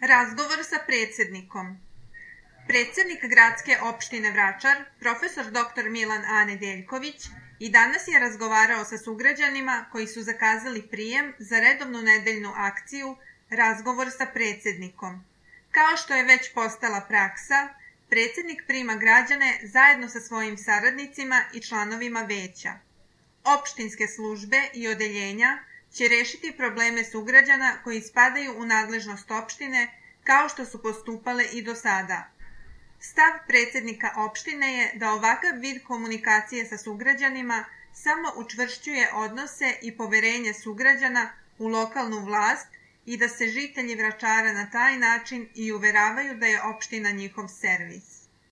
Razgovor sa predsjednikom. Predsjednik gradske opštine Vračar, profesor dr. Milan A. Nedeljković, i danas je razgovarao sa sugrađanima koji su zakazali prijem za redovnu nedeljnu akciju Razgovor sa predsjednikom. Kao što je već postala praksa, predsjednik prima građane zajedno sa svojim saradnicima i članovima veća. Opštinske službe i odeljenja će rešiti probleme sugrađana koji spadaju u nadležnost opštine kao što su postupale i do sada. Stav predsjednika opštine je da ovakav vid komunikacije sa sugrađanima samo učvršćuje odnose i poverenje sugrađana u lokalnu vlast i da se žitelji Vračara na taj način i uveravaju da je opština njihov servis.